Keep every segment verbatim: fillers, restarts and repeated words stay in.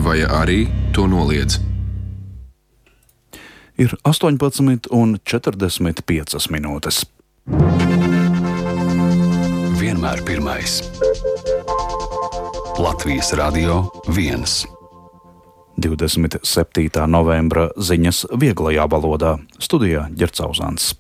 vai arī to noliedz. Ir astoņpadsmit un četrdesmit piecas minūtes. Vienmēr pirmais. Latvijas Radio viens. divdesmit septītā novembra ziņas vieglajā valodā. Studijā Ģercauzāns.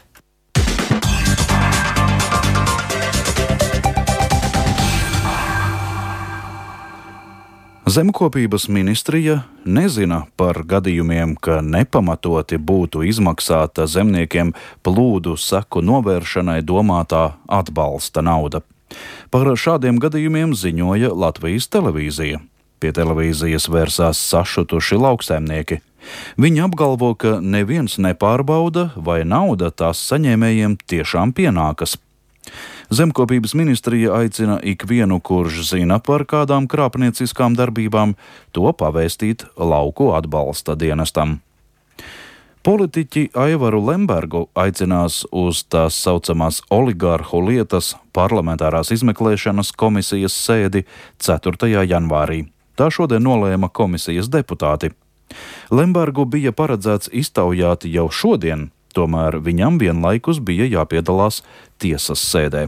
Zemkopības ministrija nezina par gadījumiem, ka nepamatoti būtu izmaksāta zemniekiem plūdu seku novēršanai domātā atbalsta nauda. Par šādiem gadījumiem ziņoja Latvijas televīzija. Pie televīzijas vērsās sašutuši lauksaimnieki. Viņi apgalvo, ka neviens nepārbauda, vai nauda tās saņēmējiem tiešām pienākas. Zemkopības ministrija aicina ikvienu, kurš zina par kādām krāpnieciskām darbībām, to pavēstīt lauku atbalsta dienestam. Politiķi Aivaru Lembergu aicinās uz tās saucamās oligarhu lietas parlamentārās izmeklēšanas komisijas sēdi ceturtajā janvārī. Tā šodien nolēma komisijas deputāti. Lembergu bija paredzēts iztaujāt jau šodien, tomēr viņam vienlaikus bija jāpiedalās tiesas sēdē.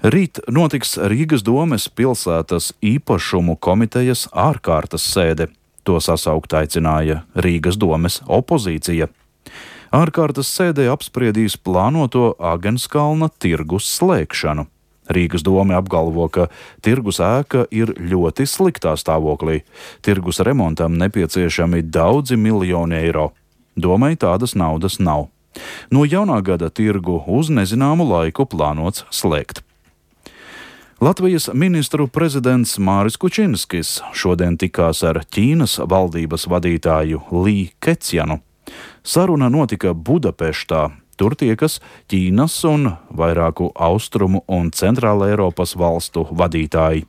Rīt notiks Rīgas domes pilsētas īpašumu komitejas ārkārtas sēde. To sasaukt aicināja Rīgas domes opozīcija. Ārkārtas sēdē apspriedīs plānoto Agenskalna tirgus slēgšanu. Rīgas dome apgalvo, ka tirgus ēka ir ļoti sliktā stāvoklī. Tirgus remontam nepieciešami daudzi miljoni eiro. Domai tādas naudas nav. No jaunā gada tirgu uz nezināmu laiku plānots slēgt. Latvijas ministru prezidents Māris Kučinskis šodien tikās ar Ķīnas valdības vadītāju Li Keqianu. Saruna notika Budapeštā. Tur tiekas Ķīnas un vairāku austrumu un centrāla Eiropas valstu vadītāji.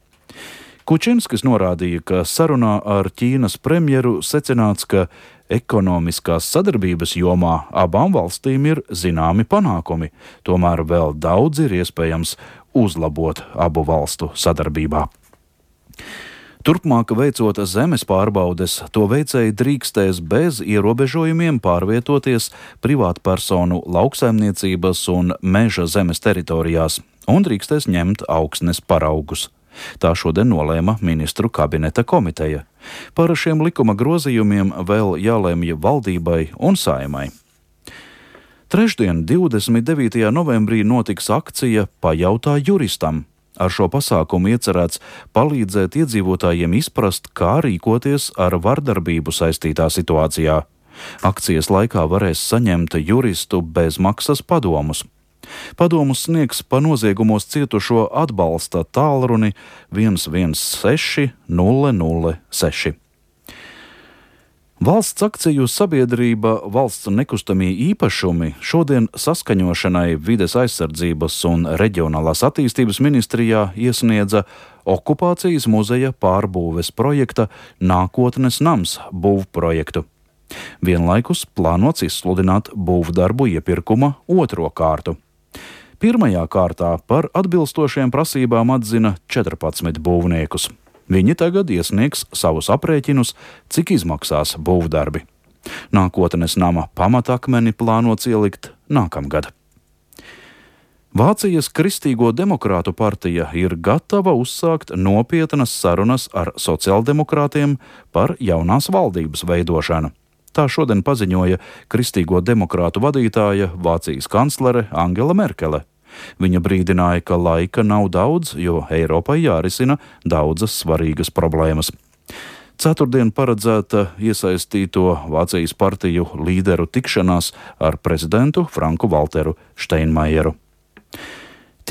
Kučinskis norādīja, ka sarunā ar Ķīnas premjeru secināts, ka ekonomiskās sadarbības jomā abām valstīm ir zināmi panākumi, tomēr vēl daudz ir iespējams uzlabot abu valstu sadarbībā. Turpmāk veicot zemes pārbaudes, to veicēji drīkstēs bez ierobežojumiem pārvietoties privātpersonu lauksaimniecības un meža zemes teritorijās un drīkstēs ņemt augsnes paraugus. Tā šodien nolēma ministru kabineta komiteja. Par šiem likuma grozījumiem vēl jālemj valdībai un Saeimai. Trešdien, divdesmit devītajā novembrī, notiks akcija Pajautā juristam. Ar šo pasākumu iecerēts palīdzēt iedzīvotājiem izprast, kā rīkoties ar vardarbību saistītā situācijā. Akcijas laikā varēs saņemt juristu bezmaksas padomus. Padomus sniegs pa noziegumos cietušo atbalsta tālruni viens viens seši nulle nulle seši. Valsts akciju sabiedrība Valsts nekustamie īpašumi šodien saskaņošanai Vides aizsardzības un reģionālās attīstības ministrijā iesniedza okupācijas muzeja pārbūves projekta Nākotnes nams būvprojektu. Vienlaikus plānots izsludināt būvdarbu iepirkuma otro kārtu. Pirmajā kārtā par atbilstošiem prasībām atzina četrpadsmit būvniekus. Viņi tagad iesniegs savus aprēķinus, cik izmaksās būvdarbi. Nākotnes nama pamatakmeni plānots ielikt nākamgad. Vācijas Kristīgo demokrātu partija ir gatava uzsākt nopietnas sarunas ar sociāldemokrātiem par jaunās valdības veidošanu. Tā šodien paziņoja Kristīgo demokrātu vadītāja Vācijas kanclere Angela Merkele. Viņa brīdināja, ka laika nav daudz, jo Eiropai jārisina daudzas svarīgas problēmas. Ceturtdien paredzēta iesaistīto Vācijas partiju līderu tikšanās ar prezidentu Franku Valteru Steinmeieru.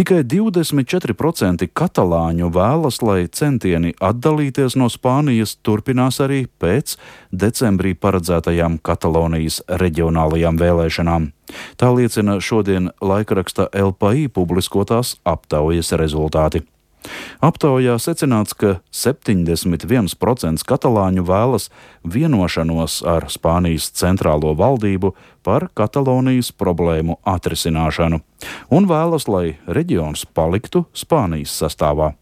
Tikai divdesmit četri procenti katalāņu vēlas, lai centieni atdalīties no Spānijas turpinās arī pēc decembrī paredzētajām Katalonijas reģionālajām vēlēšanām. Tā liecina šodien laikraksta El País publiskotās aptaujas rezultāti. Aptaujā secināts, ka septiņdesmit viens procents katalāņu vēlas vienošanos ar Spānijas centrālo valdību par Katalonijas problēmu atrisināšanu un vēlas, lai reģions paliktu Spānijas sastāvā.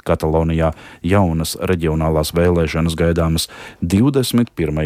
Katalonijā jaunas reģionālās vēlēšanas gaidāmas divdesmit pirmajā